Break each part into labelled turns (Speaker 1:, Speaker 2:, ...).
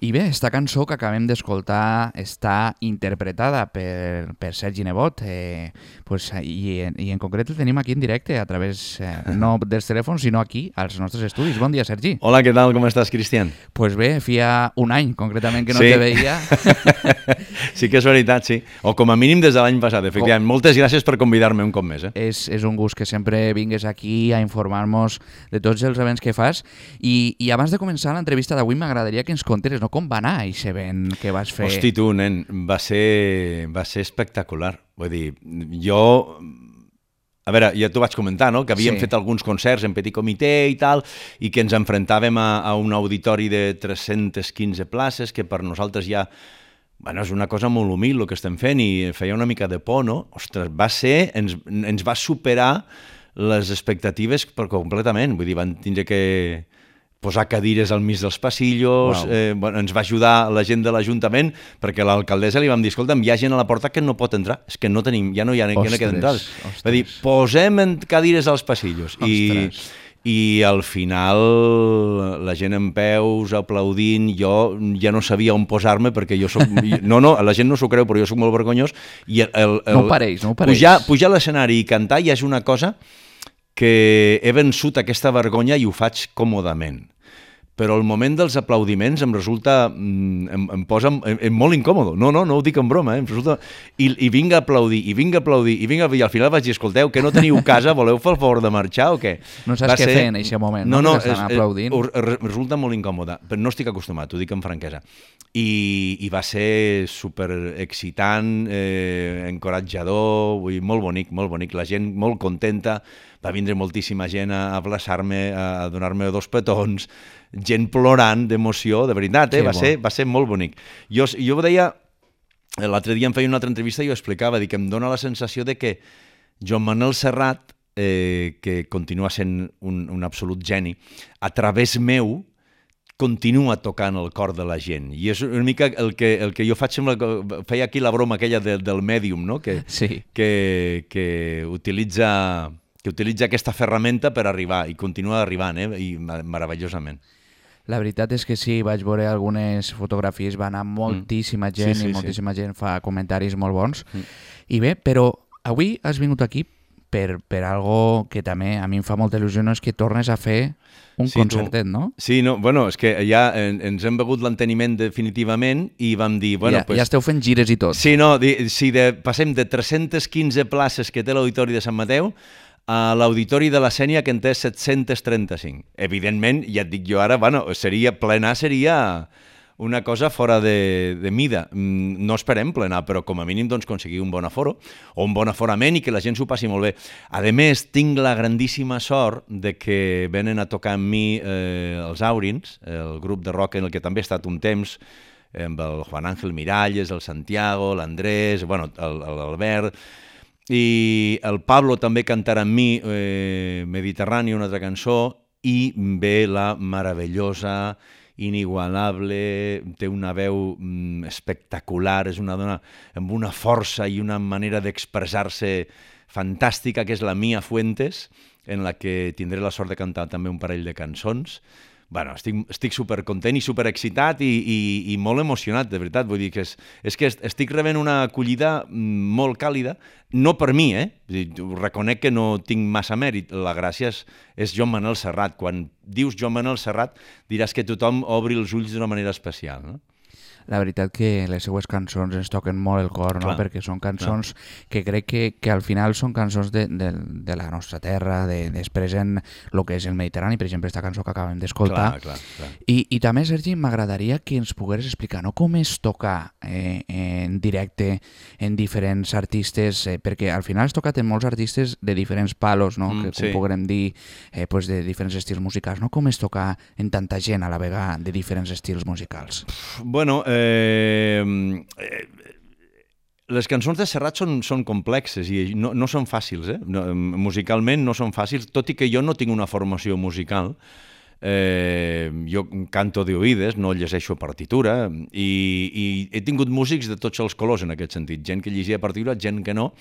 Speaker 1: I bé, esta cançó que acabem d'escoltar està interpretada per Sergi Nebot, i en concret el tenim aquí en directe, a través no dels telèfons, sinó aquí, als nostres estudis. Bon dia, Sergi.
Speaker 2: Hola, què tal? Com estàs, Cristian?
Speaker 1: Pues bé, feia un any, concretament, que no te veia.
Speaker 2: Sí que és veritat, sí. O com a mínim des de l'any passat, efectivament. Moltes gràcies per convidar-me un cop més.
Speaker 1: És un gust que sempre vingues aquí a informar-nos de tots els events que fas. I abans de començar l'entrevista d'avui m'agradaria que ens conteres, no, com va anar aquest event que vas fer.
Speaker 2: Hosti, tu, nen, va ser espectacular. Vull dir, jo... A veure, ja t'ho vaig comentar, no?, que havíem fet alguns concerts en petit comitè i tal, i que ens enfrontàvem a un auditori de 315 places, que per nosaltres ja... Bueno, és una cosa molt humil el que estem fent i feia una mica de por, no? Ostres, va ser... Ens va superar les expectatives completament. Vull dir, van tindre que posar cadires al mig dels passillos, bueno, ens va ajudar la gent de l'Ajuntament, perquè a l'alcaldessa li vam dir, escolta'm, hi ha gent a la porta que no pot entrar, és que no tenim, ja no queden entrades. Va dir, posem cadires als passillos. I al final la gent en peus, aplaudint, jo ja no sabia on posar-me perquè jo soc... No, la gent no s'ho creu, però jo soc molt vergonyós.
Speaker 1: No ho pareix.
Speaker 2: Pujar a l'escenari i cantar ja és una cosa que he vençut aquesta vergonya i ho faig còmodament. Però el moment dels aplaudiments em resulta... em posa molt incòmodo. No ho dic en broma, em resulta... I vinc a aplaudir, i al final vaig dir, escolteu, que no teniu casa, voleu fer el favor de marxar o què?
Speaker 1: No saps què fer en aquest moment, no?
Speaker 2: Resulta molt incòmode, però no estic acostumat, ho dic amb franquesa. I va ser superexcitant, encoratjador, molt bonic, la gent molt contenta, va vindre moltíssima gent a abraçar-me, a donar-me 2 petons, gent plorant d'emoció, de veritat, va ser molt bonic. Jo ho deia, l'altre dia em feia una altra entrevista i ho explicava, que em dóna la sensació de que Joan Manel Serrat, que continua sent un absolut geni, a través meu, continua tocant el cor de la gent. I és una mica el que jo faig, feia aquí la broma aquella del Medium, no? que utilitza aquesta ferramenta per arribar, i continua arribant, i meravellosament.
Speaker 1: La veritat és que sí, vaig veure algunes fotografies, va anar moltíssima gent i moltíssima gent fa comentaris molt bons. I bé, però avui has vingut aquí per algo que també a mi em fa molta il·lusió, no, és que tornes a fer un concertet, no?
Speaker 2: Sí, bueno, és que ja ens hem begut l'enteniment definitivament i vam dir...
Speaker 1: Ja esteu fent gires i tot.
Speaker 2: Sí, passem de 315 places que té l'Auditori de Sant Mateu a l'Auditori de la Sénia, que en té 735. Evidentment, ja et dic jo ara, plenar seria una cosa fora de mida. No esperem plenar, però com a mínim aconseguir un bon aforo, o un bon aforament, i que la gent s'ho passi molt bé. A més, tinc la grandíssima sort de que venen a tocar amb mi els Aurins, el grup de rock en el que també he estat un temps, amb el Juan Ángel Miralles, el Santiago, l'Andrés, l'Albert... I el Pablo també cantarà amb mi Mediterrani, una altra cançó, i ve la meravellosa, inigualable, té una veu espectacular, és una dona amb una força i una manera d'expressar-se fantàstica, que és la Mia Fuentes, en la que tindré la sort de cantar també un parell de cançons. Bueno, estic supercontent i superexcitat i molt emocionat, de veritat. Vull dir que és que estic rebent una acollida molt càlida, no per mi, reconec que no tinc massa mèrit. La gràcia és Joan Manel Serrat. Quan dius Joan Manel Serrat diràs que tothom obri els ulls d'una manera especial, no?
Speaker 1: La veritat que les seues cançons ens toquen molt el cor, no? Perquè són cançons que crec que al final són cançons de la nostra terra, d'expressen el que és el Mediterrani, per exemple, aquesta cançó que acabem d'escoltar. I també, Sergi, m'agradaria que ens pogueres explicar, no?, com es toca en directe en diferents artistes, perquè al final has tocat en molts artistes de diferents palos, no?, que com podrem dir, de diferents estils musicals, no? Com es toca en tanta gent a la vegada de diferents estils musicals?
Speaker 2: Bueno, les cançons de Serrat són complexes i no són fàcils, musicalment no són fàcils, tot i que jo no tinc una formació musical. Jo canto d'oïdes, no llegeixo partitura, i he tingut músics de tots els colors en aquest sentit, gent que llegia partitura, gent que no,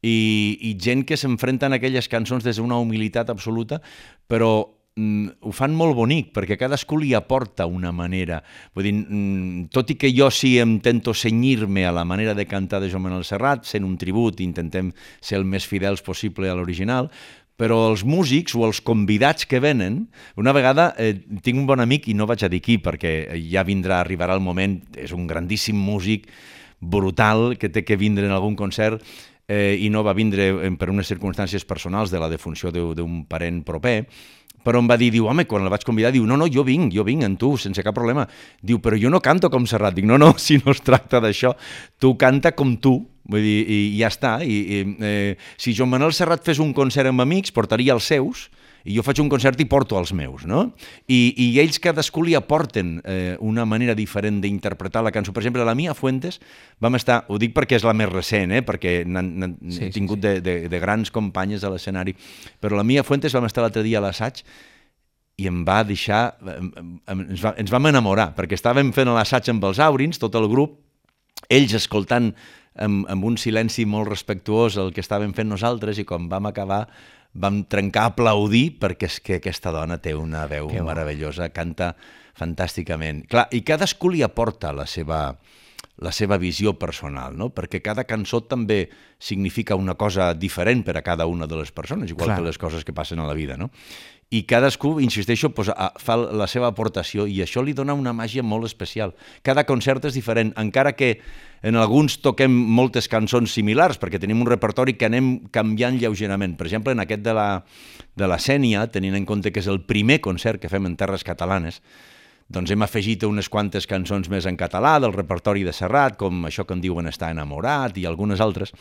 Speaker 2: i gent que s'enfrenta a aquelles cançons des d'una humilitat absoluta, però ho fan molt bonic, perquè cadascú li aporta una manera. Vull dir, tot i que jo sí intento cenyir-me a la manera de cantar de Joan Manuel Serrat, sent un tribut, intentem ser el més fidels possible a l'original, però els músics o els convidats que venen, una vegada tinc un bon amic, i no vaig a dir qui, perquè ja arribarà el moment, és un grandíssim músic, brutal, que té que vindre en algun concert, i no va vindre per unes circumstàncies personals de la defunció d'un parent proper, però em va dir, diu, home, quan el vaig convidar, diu, no, jo vinc amb tu, sense cap problema. Diu, però jo no canto com Serrat. Dic, no, si no es tracta d'això, tu canta com tu, vull dir, i ja està. Si Joan Manuel Serrat fes un concert amb amics, portaria els seus, i jo faig un concert i porto els meus, no? I ells cadascú li aporten una manera diferent d'interpretar la cançó. Per exemple, la Mia Fuentes vam estar, ho dic perquè és la més recent, perquè n'han tingut de grans companyes a l'escenari, però la Mia Fuentes vam estar l'altre dia a l'assaig i em va deixar, ens vam enamorar, perquè estàvem fent l'assaig amb els Aurins, tot el grup, ells escoltant amb un silenci molt respectuós el que estàvem fent nosaltres, i quan vam acabar vam trencar a aplaudir, perquè és que aquesta dona té una veu meravellosa, canta fantàsticament. Clar, i cadascú li aporta la seva visió personal, no? Perquè cada cançó també significa una cosa diferent per a cada una de les persones, igual que les coses que passen a la vida, no? I cadascú, insisteixo, fa la seva aportació, i això li dona una màgia molt especial. Cada concert és diferent, encara que en alguns toquem moltes cançons similars, perquè tenim un repertori que anem canviant lleugerament. Per exemple, en aquest de la Sénia, tenint en compte que és el primer concert que fem en terres catalanes, doncs hem afegit unes quantes cançons més en català del repertori de Serrat, com això que en diuen Estar enamorat i algunes altres,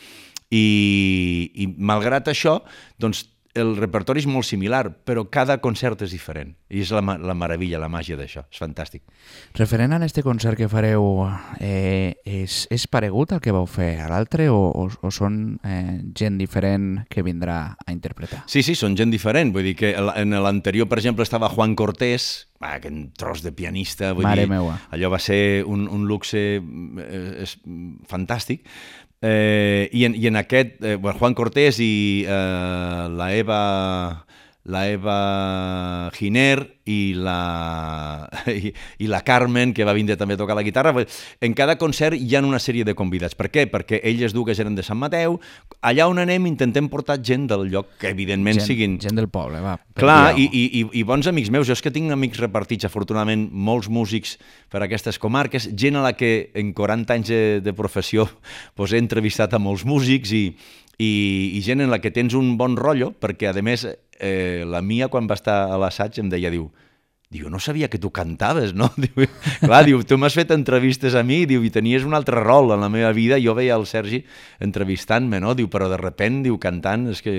Speaker 2: i malgrat això, doncs el repertori és molt similar, però cada concert és diferent. I és la meravella, la màgia d'això. És fantàstic.
Speaker 1: Referent a aquest concert que fareu, és paregut al que vau fer a l'altre o són gent diferent que vindrà a interpretar?
Speaker 2: Sí, són gent diferent. Vull dir que en l'anterior, per exemple, estava Juan Cortés, aquest tros de pianista.
Speaker 1: Mare meua.
Speaker 2: Allò va ser un luxe fantàstic. I en aquest, Juan Cortés i la Eva Giner i la Carmen, que va vindre també a tocar la guitarra. En cada concert hi ha una sèrie de convidats. Per què? Perquè elles dues eren de Sant Mateu. Allà on anem intentem portar gent del lloc, que evidentment siguin...
Speaker 1: Gent del poble, va.
Speaker 2: Clar, i bons amics meus. Jo és que tinc amics repartits, afortunadament, molts músics per a aquestes comarques, gent a la que en 40 anys de professió he entrevistat a molts músics i gent en la que tens un bon rotllo, perquè, a més, la Mia, quan va estar a l'assaig, em deia, diu, no sabia que tu cantaves, no? Clar, tu m'has fet entrevistes a mi, i tenies un altre rol en la meva vida, jo veia el Sergi entrevistant-me, no? Però de sobte, cantant, és que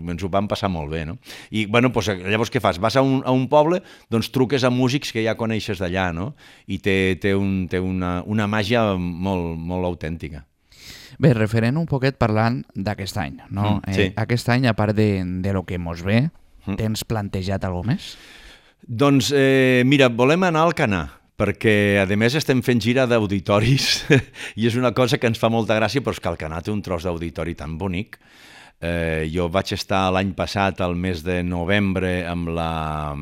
Speaker 2: ens ho vam passar molt bé, no? I, llavors què fas? Vas a un poble, doncs truques a músics que ja coneixes d'allà, no? I té una màgia molt, molt autèntica.
Speaker 1: Bé, referent un poquet parlant d'aquest any, no?
Speaker 2: Sí.
Speaker 1: Aquest any, a part de lo que mos ve, tens plantejat alguna més?
Speaker 2: Doncs, mira, volem anar al Alcanar, perquè, a més, estem fent gira d'auditoris i és una cosa que ens fa molta gràcia, però és que Alcanar té un tros d'auditori tan bonic. Jo vaig estar l'any passat, al mes de novembre, amb la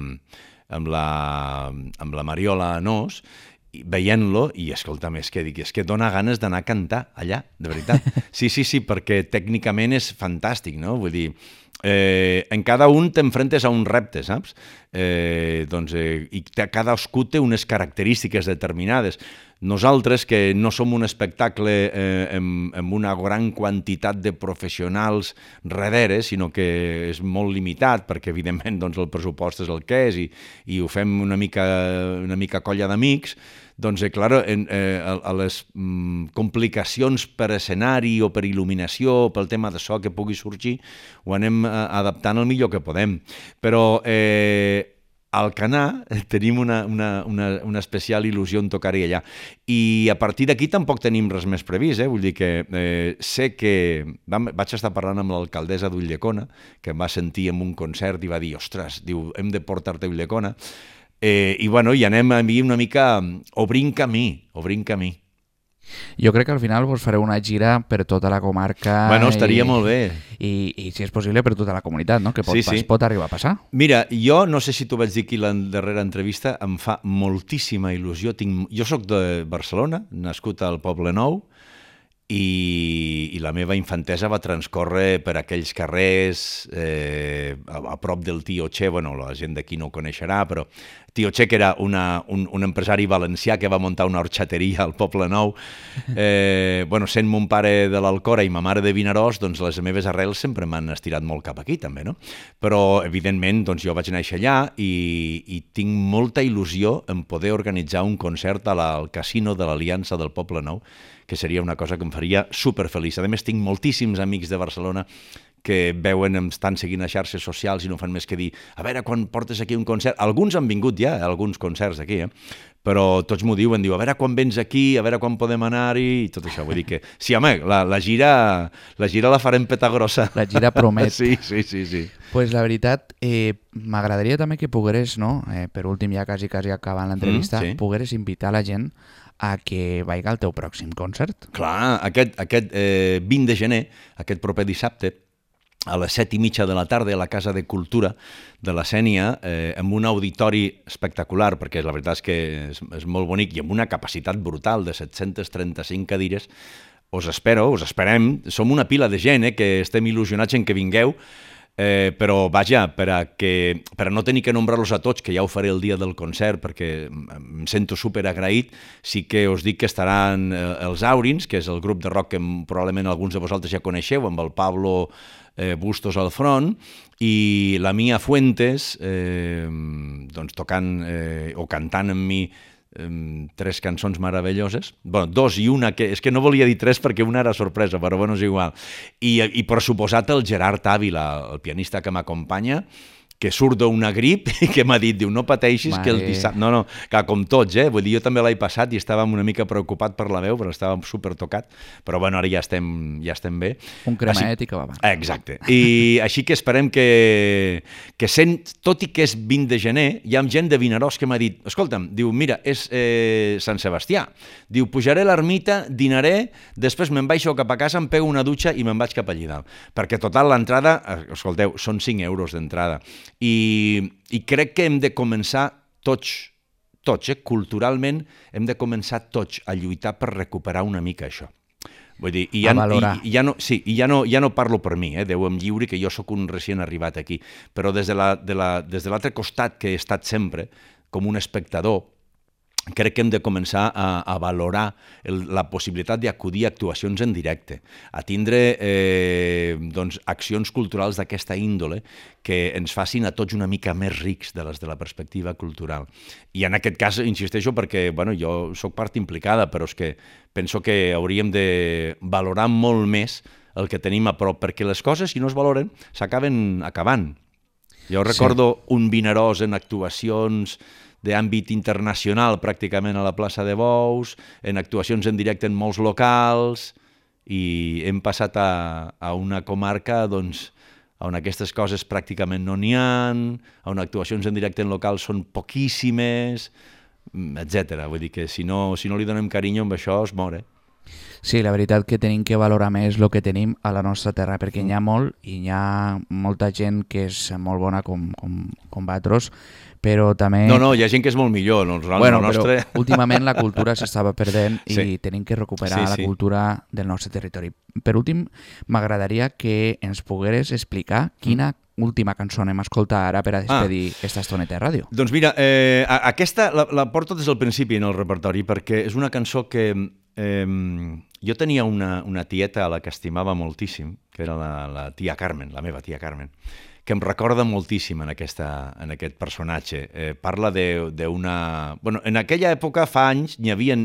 Speaker 2: Mariola Anós, veient-lo, i escolta'm, és que dona ganes d'anar a cantar allà, de veritat. Sí, perquè tècnicament és fantàstic, no? Vull dir, en cada un t'enfrentes a un repte, saps? I cadascú té unes característiques determinades. Nosaltres, que no som un espectacle amb una gran quantitat de professionals darrere, sinó que és molt limitat, perquè evidentment el pressupost és el que és i ho fem una mica colla d'amics, doncs, clar, a les complicacions per escenari o per il·luminació, pel tema de so que pugui sorgir, ho anem adaptant el millor que podem. Però a Alcanar tenim una especial il·lusió en tocar-hi allà. I a partir d'aquí tampoc tenim res més previst, vull dir que sé que... Vaig estar parlant amb l'alcaldessa d'Ulldecona, que em va sentir en un concert i va dir, ostres, hem de portar-te a Ulldecona. I anem una mica obrint camí.
Speaker 1: Jo crec que al final vos fareu una gira per tota la comarca.
Speaker 2: Bueno, estaria molt bé.
Speaker 1: I si és possible, per tota la comunitat, no? Que pot arribar a passar.
Speaker 2: Mira, jo no sé si t'ho vaig dir aquí la darrera entrevista, em fa moltíssima il·lusió. Jo sóc de Barcelona, nascut al Poble Nou, i la meva infantesa va transcórrer per aquells carrers a prop del Tio Che. Bueno, la gent d'aquí no ho coneixerà, però Tio Che, que era un empresari valencià que va muntar una orxateria al Poble Nou. Sent mon pare de l'Alcora i ma mare de Vinaròs, doncs les meves arrels sempre m'han estirat molt cap aquí, també, no? Però, evidentment, doncs jo vaig néixer allà i tinc molta il·lusió en poder organitzar un concert al Casino de l'Aliança del Poble Nou, que seria una cosa que em faria superfeliç. A més, tinc moltíssims amics de Barcelona que veuen, em estan seguint a xarxes socials i no fan més que dir, a veure, quan portes aquí un concert? Alguns han vingut ja, alguns concerts aquí, però tots m'ho diuen, a veure quan vens aquí, a veure quan podem anar-hi, i tot això. Vull dir que, sí, home, la gira la farem peta grossa.
Speaker 1: La gira promet.
Speaker 2: Sí.
Speaker 1: Pues la veritat, m'agradaria també que pogueres, no? Per últim, ja quasi acabant l'entrevista, pogueres invitar la gent a que vaiga al teu pròxim concert.
Speaker 2: Clar, aquest 20 de gener, aquest proper dissabte, a les 7:30 de la tarda a la Casa de Cultura de la Sénia, amb un auditori espectacular, perquè la veritat és que és molt bonic, i amb una capacitat brutal de 735 cadires. Us esperem, som una pila de gent que estem il·lusionats en que vingueu, però vaja, per a no tenir que nombrar-los a tots, que ja ho faré el dia del concert perquè em sento superagraït, sí que us dic que estaran els Aurins, que és el grup de rock que probablement alguns de vosaltres ja coneixeu, amb el Pablo Bustos al front, i la Mia Fuentes tocant o cantant amb mi 3 cançons meravelloses, bueno, 2 i una, que és que no volia dir 3 perquè una era sorpresa, però bueno, és igual, i per suposat el Gerard Ávila, el pianista que m'acompanya, que surt d'una grip i que m'ha dit, diu, no pateixis que el dissabte... No, que com tots, vull dir, jo també l'he passat i estàvem una mica preocupat per la veu, però estàvem supertocat, però bueno, ara ja estem bé.
Speaker 1: Un cremet i que va.
Speaker 2: Exacte. I així que esperem que tot i que és 20 de gener, hi ha gent de Vinaròs que m'ha dit, escolta'm, diu, mira, és Sant Sebastià, diu, pujaré a l'ermita, dinaré, després me'n baixo cap a casa, em pego una dutxa i me'n vaig cap allí dalt. Perquè total l'entrada, escolteu, són 5 euros d'entrada. I crec que hem de començar tots, culturalment, hem de començar tots a lluitar per recuperar una mica això. Vull dir,
Speaker 1: a valorar.
Speaker 2: I ja no parlo per mi, Déu em lliuri, que jo sóc un recient arribat aquí, però des de l'altre costat que he estat sempre, com un espectador, crec que hem de començar a valorar la possibilitat d'acudir a actuacions en directe, a tindre accions culturals d'aquesta índole que ens facin a tots una mica més rics de les de la perspectiva cultural. I en aquest cas, insisteixo, perquè jo sóc part implicada, però és que penso que hauríem de valorar molt més el que tenim a prop, perquè les coses, si no es valoren, s'acaben acabant. Jo recordo un Vinaròs en actuacions d'àmbit internacional, pràcticament a la plaça de Bous, en actuacions en directe en molts locals, i hem passat a una comarca on aquestes coses pràcticament no n'hi ha, on actuacions en directe en locals són poquíssimes, etc. Vull dir que si no li donem carinyo amb això es mor.
Speaker 1: Sí, la veritat que tenim que valorar més el que tenim a la nostra terra, perquè n'hi ha molt i hi ha molta gent que és molt bona com vosaltres, però també...
Speaker 2: No, hi ha gent que és molt millor.
Speaker 1: Bueno, però últimament la cultura s'estava perdent i tenim que recuperar la cultura del nostre territori. Per últim, m'agradaria que ens pogueres explicar quina última cançó anem a escoltar ara per a despedir aquesta estoneta de ràdio.
Speaker 2: Doncs mira, aquesta la porto des del principi en el repertori, perquè és una cançó que... jo tenia una tieta a la que estimava moltíssim, que era la tia Carmen, la meva tia Carmen, que em recorda moltíssim en aquest personatge. Parla d'una... Bueno, en aquella època, fa anys,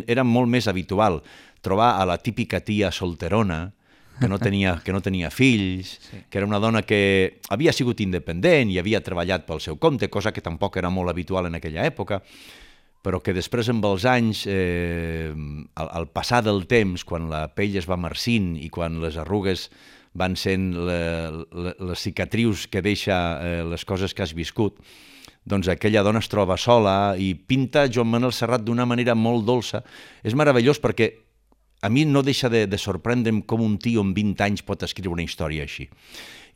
Speaker 2: era molt més habitual trobar a la típica tia solterona, que no tenia fills, que era una dona que havia sigut independent i havia treballat pel seu compte, cosa que tampoc era molt habitual en aquella època, però que després, amb els anys, al passar del temps, quan la pell es va marcint i quan les arrugues van sent les cicatrius que deixa les coses que has viscut, doncs aquella dona es troba sola i pinta Joan Manuel Serrat d'una manera molt dolça. És meravellós perquè a mi no deixa de sorprendre'm com un tio amb 20 anys pot escriure una història així.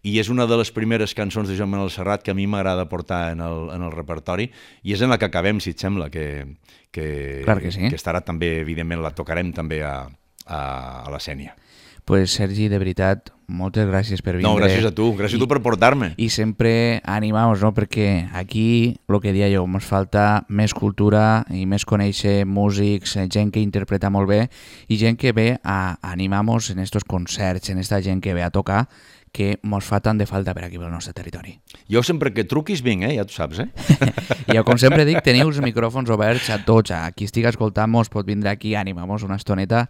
Speaker 2: I és una de les primeres cançons de Joan Manuel Serrat que a mi m'agrada portar en el repertori, i és en la que acabem, si et sembla,
Speaker 1: Clar que sí.
Speaker 2: que estarà també, evidentment, la tocarem també a la Sénia.
Speaker 1: Pues Sergi, de veritat, moltes gràcies per vindre.
Speaker 2: No, gràcies a tu per portar-me.
Speaker 1: I sempre animamos, no? Perquè aquí, el que deia jo, ens falta més cultura i més conèixer músics, gent que interpreta molt bé i gent que ve a animar-nos en estos concerts, en esta gent que ve a tocar, que mos fa tant de falta per aquí pel nostre territori.
Speaker 2: Jo sempre que truquis vinc, ja tu saps,
Speaker 1: I jo, com sempre dic, teniu els micròfons oberts a tots, a qui estigui escoltant-nos pot vindre aquí, animar-nos una estoneta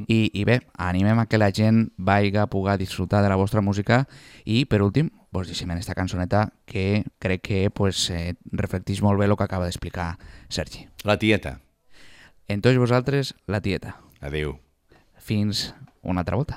Speaker 1: i bé, animem a que la gent vagi a poder disfrutar de la vostra música i, per últim, vos deixem en esta cançoneta que crec que reflecteix molt bé el que acaba d'explicar Sergi.
Speaker 2: La tieta.
Speaker 1: En tots vosaltres, la tieta.
Speaker 2: Adéu.
Speaker 1: Fins una altra volta.